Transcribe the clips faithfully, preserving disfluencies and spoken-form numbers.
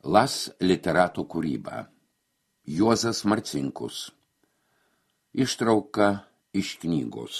Las literatų kūryba. Juozas Marcinkus. Ištrauka iš knygos.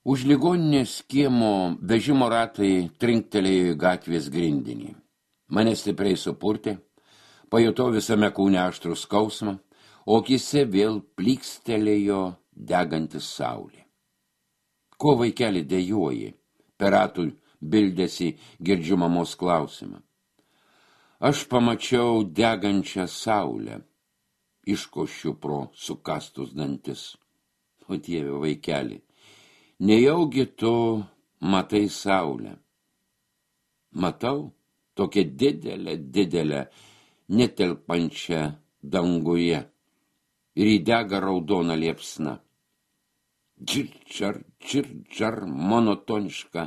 Už ligoninės kiemo vežimo ratai trinktelėjo į gatvės grindinį. Mane stipriai supurtė, pajutau visame kūne aštrų skausmą, o akyse vėl plykstelėjo degantis saulė. Ko vaikeli dejuoji? Per ratų bildėsi girdžiu mamos klausimą. Aš pamačiau degančią saulę, iškošiu pro sukastus dantis. O Dieve, vaikeli, nejaugi tu matai saulę? Matau tokią didelę, didelę, netelpančią danguje ir įdega raudona liepsna. Čirčar, čirčar, monotoniška,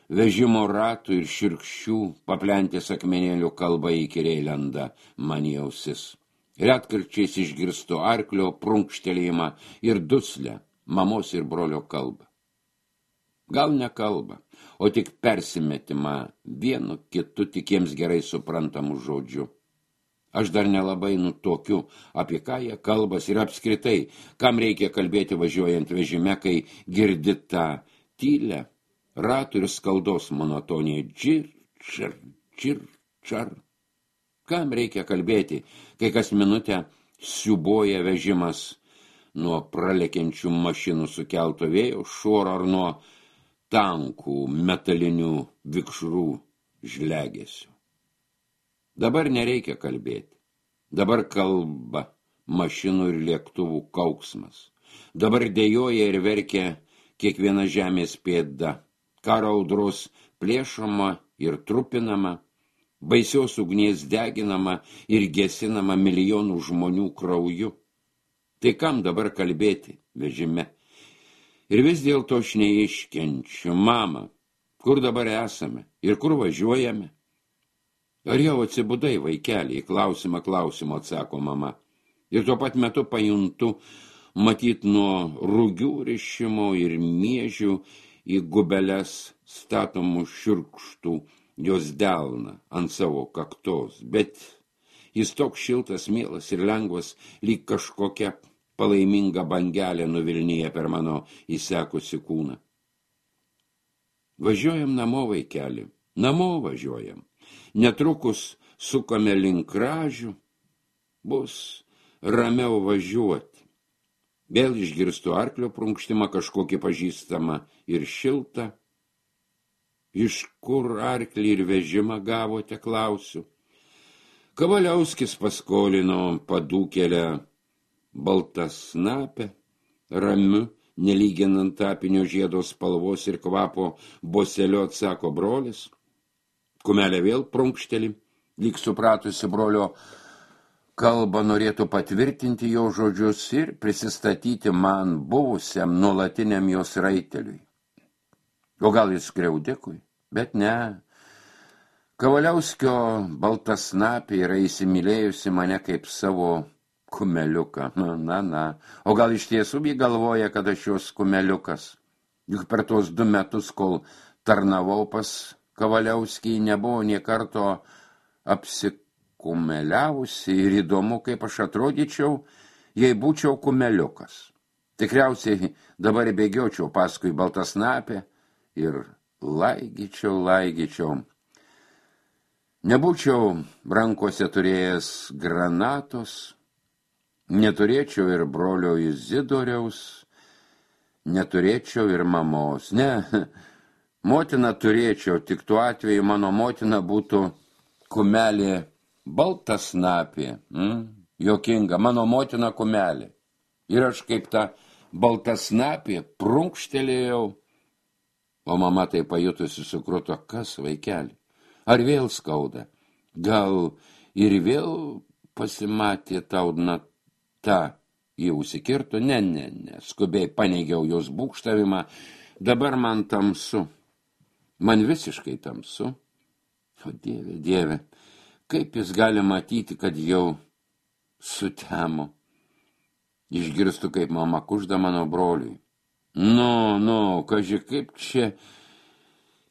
vežimo ratų ir širkščių paplentės akmenėlių kalba įkyriai lenda man į ausis. Retkarčiais išgirstu arklio prunkštelėjimą ir duslę mamos ir brolio kalbą. Gal ne kalbą, o tik persimetimą vienu kitu tik jiems gerai suprantamų žodžių. Aš dar nelabai nutokiu, apie ką jie kalbas ir apskritai, kam reikia kalbėti važiuojant vežime, kai girdi tą tylę, ratų ir skaldos monotoniją. Džir, čir, čir, čar. Kam reikia kalbėti, kai kas minutę siuboja vežimas nuo pralekiančių mašinų sukelto vėjo šuoro ar nuo tankų metalinių vikšrų žlegesių. Dabar nereikia kalbėti. Dabar kalba mašinų ir lėktuvų kauksmas. Dabar dejuoja ir verkia kiekviena žemės pėda. Karo audros plėšoma ir trupinama, baisios ugnies deginama ir gesinama milijonų žmonių krauju. Tai kam dabar kalbėti vežime? Ir vis dėlto aš neiškenčiu. Mama, kur dabar esame ir kur važiuojame? Ar jau atsibudai, vaikeliai? Klausimą klausimą atsako mama. Ir tuo pat metu pajuntu, matyt nuo rugių rišimo ir miežių į gubeles statomų šiurkštų jos delną ant savo kaktos, bet jis toks šiltas, mielas ir lengvas, lyg kažkokia palaiminga bangelė nuvilnyja per mano įsekusi kūną. Važiuojam namo, vaikeli, namo važiuojam. Netrukus sukame link Kražių, bus ramiau važiuoti. Vėl išgirstu arklio prunkštimą, kažkokį pažįstamą ir šiltą. Iš kur arklį ir vežimą gavote, klausiu. Kavaliauskis paskolino padūkelę baltasnapę, ramiu, nelyginant apinio žiedo spalvos ir kvapo boselio, atsako brolis. Kumelė vėl prunkšteli, lyg supratusi brolio kalbą norėtų patvirtinti jo žodžius ir prisistatyti man buvusiam nuolatiniam jos raiteliui. O gal jis skriaudikui? Bet ne. Kavaliauskio baltasnapė yra įsimylėjusi mane kaip savo kumeliuką. Na, na, na. O gal iš tiesų jį galvoja, kad aš jos kumeliukas? Juk per tos du metus, kol tarnavau pas Kavaliauskį, nebuvo nė karto apsikumeliavusi ir įdomu, kaip aš atrodyčiau, jei būčiau kumeliukas. Tikriausiai dabar bėgiočiau paskui baltasnapę ir laigyčiau, laigyčiau. Nebūčiau rankose turėjęs granatos, neturėčiau ir brolio Izidoriaus, neturėčiau ir mamos. Ne, motina turėčiau, tik tuo atveju mano motina būtų kumelė baltasnapė. Mm? Jokinga, mano motina kumelė. Ir aš kaip ta baltasnapė prunkštelėjau, o mama tai pajutusi sukruto, kas vaikeli? Ar vėl skauda? Gal ir vėl pasimatė tau nata? Ji užsikirto, ne, ne, ne, skubiai paneigiau jos būkštavimą, dabar man tamsu. Man visiškai tamsu. O Dieve, Dieve, kaip jis gali matyti, kad jau sutemo. Išgirstu, kaip mama kužda mano broliui. Nu, nu, kaži, kaip čia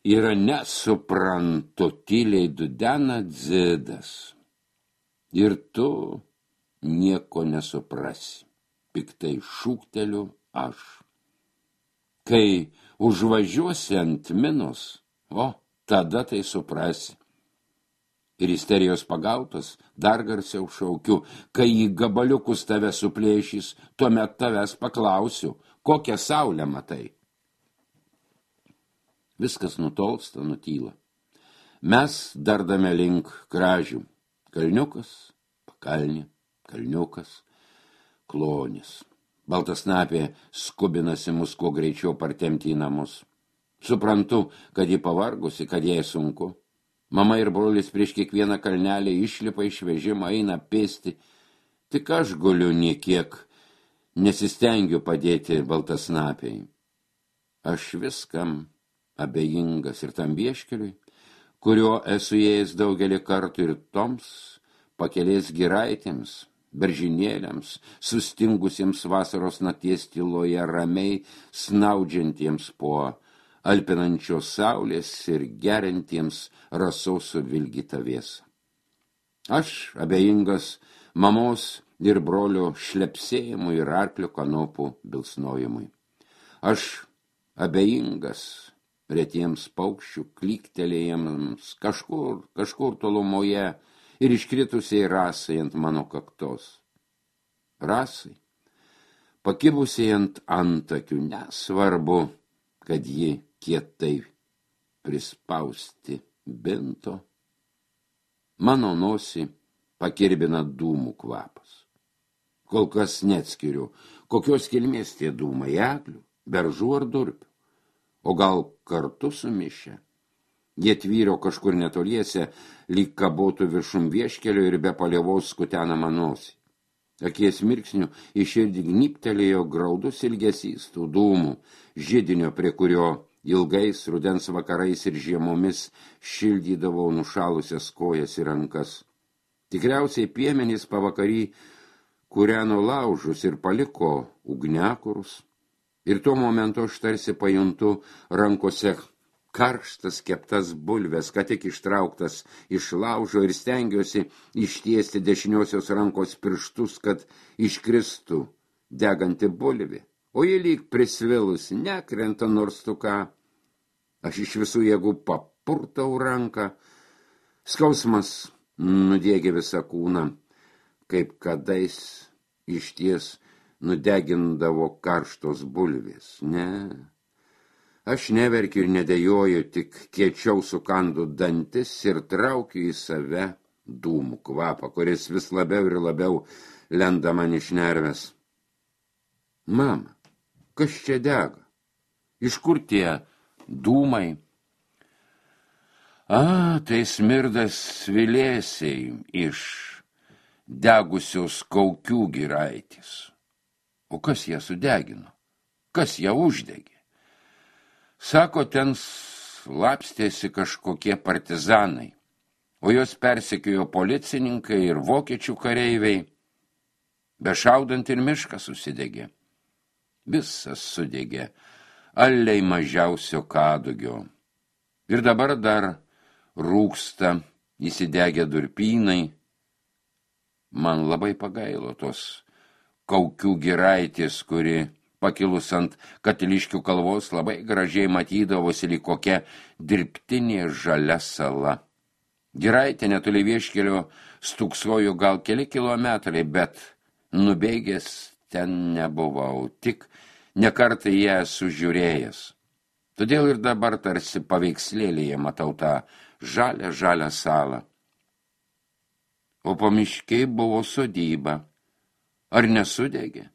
yra nesuprantu, tyliai dudena Dzidas. Ir tu nieko nesuprasi, piktai šūkteliu aš. Kai užvažiuosi ant minos, o, tada tai suprasi. Ir isterijos pagautas dar garsiau šaukiu, kai į gabaliukus tave suplėšys, tuomet tavęs paklausiu, kokią saulę matai. Viskas nutolsta, nutyla. Mes dardame link kražių. Kalniukas, pakalnė, kalniukas, klonis. Baltasnapė skubinasi mus kuo greičiau partempti į namus. Suprantu, kad ji pavargusi, kad jai sunku. Mama ir brolis prieš kiekvieną kalnelį išlipa iš vežimo, eina pėsti. Tik aš guliu niekiek, nesistengiu padėti Baltasnapei. Aš viskam abejingas ir tam vieškeliui, kurio esu ėjęs daugelį kartų, ir toms pakelės giraitėms, beržinėliams, sustingusiems vasaros nakties tyloje, ramiai snaudžiantiems po alpinančios saulės ir geriantiems rasos suvilgytą vėsą. Aš abejingas mamos ir brolio šlepsėjimui ir arklio kanopų bilsnojimui. Aš abejingas retiems paukščių klyktelėjimams kažkur, kažkur tolumoje ir iškritusiai rasai ant mano kaktos. Rasai, pakibusiai ant antakių, nesvarbu, kad ji kietai prispausti binto. Mano nosį pakirbina dūmų kvapas. Kol kas neatskiriu, kokios kilmės tie dūmai, eglių, beržų ar durpių. O gal kartu sumišę. Jie tvyro kažkur netoliese, lyg kabotų viršum vieškelio ir be palievos skutenamą nosį. Akies mirksnių į širdį gnybtelėjo graudus ilgesys tų dūmų, židinio, prie kurio ilgais rudens vakarais ir žiemomis šildydavau nušalusias kojas ir rankas. Tikriausiai piemenys pavakary kūreno laužus ir paliko ugniakurus. Ir tuo momentu aš tarsi pajuntu rankose karštas keptas bulves, ką tik ištrauktas iš laužo, ir stengiuosi ištiesti dešiniosios rankos pirštus, kad iškristų deganti bulvė. O ji lyg prisvilus nekrenta nors tu ką. Aš iš visų jėgų papurtau ranką. Skausmas nudėgė visą kūną, kaip kadais išties nudegindavo karštos bulvės. Ne, aš neverkiu ir nedejoju, tik kiečiau sukandu dantis ir traukiu į save dūmų kvapą, kuris vis labiau ir labiau lenda man iš nervės. Mama, kas čia dega? Iš kur tie dūmai? A, tai smirdas svilėsiai iš degusios Kaukių giraitės. O kas ją sudegino? Kas ją uždegė? Sako, ten slapstėsi kažkokie partizanai, o jos persekiojo policininkai ir vokiečių kareiviai. Bešaudant ir miškas susidegė. Visas sudegė, aliai mažiausio kadugio. Ir dabar dar rūksta įsidegę durpynai. Man labai pagailo tos Kaukių giraitės, kuri pakilus ant Katiliškių kalvos labai gražiai matydavosi lyg kokia dirbtinė žalia sala. Giraitė netoli vieškelio stūksojo gal keli kilometrai, bet nubėgęs ten nebuvau, tik nekartą ją esu žiūrėjęs. Todėl ir dabar tarsi paveikslėlėje matau tą žalią, žalią salą. O pamiškiai buvo sodyba. Ar nesudegė?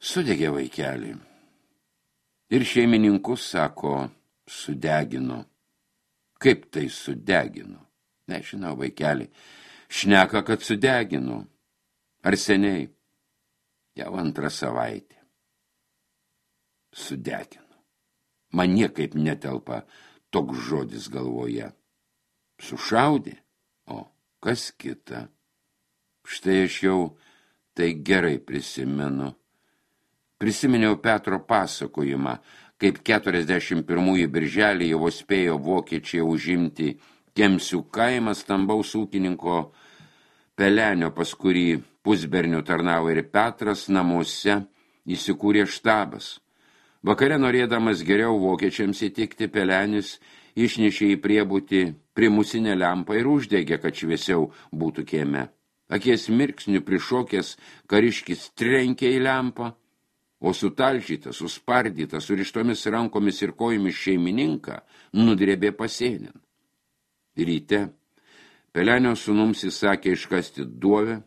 Sudegė, vaikelį. Ir šeimininkus, sako, sudegino. Kaip tai sudegino? Nežinau, vaikelį. Šneka, kad sudegino. Ar seniai? Jau antrą savaitę. Sudegino. Man niekaip netelpa toks žodis galvoje. Sušaudė? O, kas kita? Štai aš jau tai gerai prisimenu. Prisiminiau Petro pasakojimą, kaip keturiasdešimt pirmųjų birželį jau spėjo vokiečiai užimti Kemsių kaimą, stambaus ūkininko Pelenio, pas kurį pusbernių tarnavo ir Petras, namuose įsikūrė štabas. Vakare, norėdamas geriau vokiečiams įtikti, Pelenis išnešė į priebūtį primusinę lempą ir uždegė, kad šviesiau būtų kieme. Akies mirksnių prišokęs kariškis trenkė į lempą, o sutalžytas, suspardytas, surištomis rankomis ir kojomis šeimininką nudrėbė pasėnin. Ryte Pelenio sūnums įsakė iškasti duobę,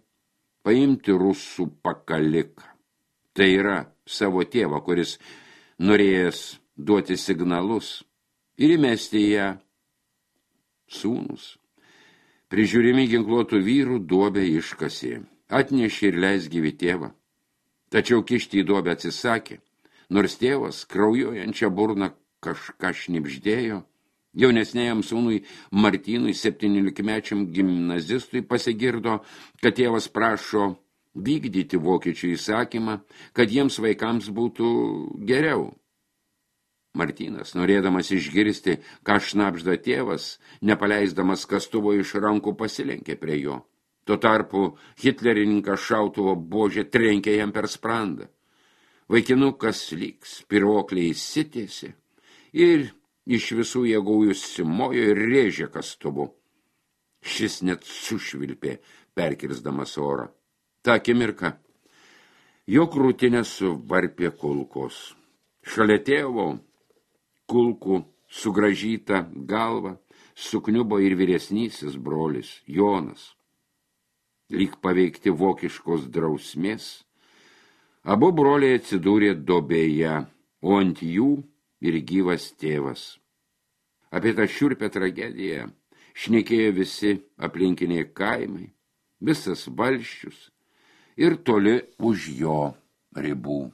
paimti rusų pakaliką. Tai yra savo tėvą, kuris norėjęs duoti signalus, ir įmesti ją. Sūnus, prižiūrimi ginkluotų vyrų, duobę iškasė, atnešė ir leis gyvi tėvą. Tačiau kišti į duobę atsisakė, nors tėvas kraujuojančią burną kažką šnibždėjo. Jaunesnėjam sūnui Martynui, septyniolikmečiam gimnazistui, pasigirdo, kad tėvas prašo vykdyti vokiečių įsakymą, kad jiems vaikams būtų geriau. Martynas, norėdamas išgirsti, ką šnabžda tėvas, nepaleisdamas kastuvo iš rankų, pasilenkė prie jo. Tuo tarpu hitlerininkas šautuvo buože trenkė jam per sprandą. Vaikinukas lyg spyruokliai įsitiesė ir iš visų jėgų užsimojo ir rėžė kastuvu. Šis net sušvilpė, perkirsdamas orą. Ta akimirka jo krūtinę suvarpė kulkos. Šalia tėvo kulkų sugražyta galva sukniubo ir vyresnysis brolis Jonas. Lyg paveikti vokiškos drausmės, abu broliai atsidūrė duobėje, o ant jų ir gyvas tėvas. Apie tą šiurpią tragediją šnekėjo visi aplinkiniai kaimai, visas valsčius ir toli už jo ribų.